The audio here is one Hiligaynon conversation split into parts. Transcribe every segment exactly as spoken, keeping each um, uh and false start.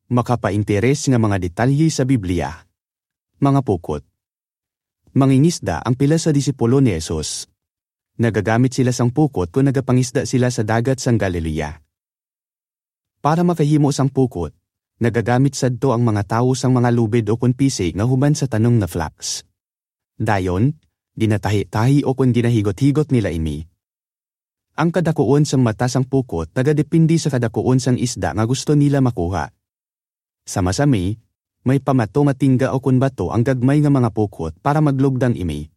Makapainteres nga mga detalye sa Biblia. Mga pukot. Mangingisda ang pila sa disipulo ni Jesus. Nagagamit sila sang pukot kon nagapangisda sila sa dagat sang Galilea. Para makahimo sang pukot, nagagamit sadto ang mga tawo sang mga lubid ukon pisi nga human sa tanom nga flax. Dayon, ginatahi-tahi ukon ginahigot-higot nila ini. Ang kadakuon sang mata sang pukot nagadepende sa kadakuon sang isda nga gusto nila makuha. Sama-sami, may pamato nga tingga ukon bato ang gagmay nga mga pukot para maglugdang ini.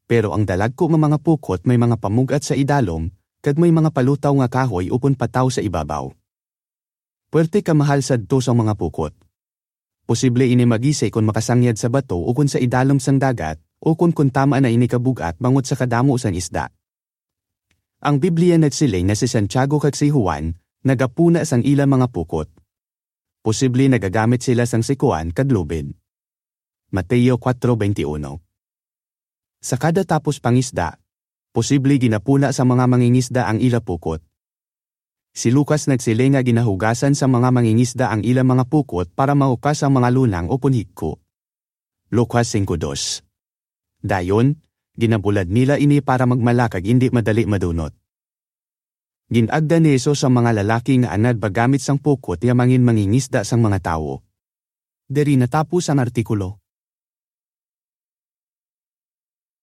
Pero ang dalagko nga mga pukot may mga pamug-at sa idalom, kag may mga palutaw nga kahoy ukon pataw sa ibabaw. Puwerte kamahal sadto sang mga pukot. Posible ini magisi kon makasangyad sa bato ukon sa idalom sang dagat, ukon kon tama na ini kabug-at bangod sa kadamo sang isda. Ang Biblia nagsiling nga si Santiago kag si Juan nagapuna sang ila mga pukot. Posible nagagamit sila sang sikuan kag lubid. Mateo kuwatro beintiuno. Sa kada tapos pangisda, posible ginapuna sa mga mangingisda ang ila pukot. Si Lucas nagsiling nga ginahugasan sa mga mangingisda ang ila mga pukot para mahukas ang mga lunang ukon higko. Lucas singko dos. Dayon, ginabulad nila ini para magmala kag indi madali madunot. Gin-agda ni Jesus ang mga lalaki nga anad paggamit sang pukot nga mangin mangingisda sang mga tawo. Diri natapos ang artikulo.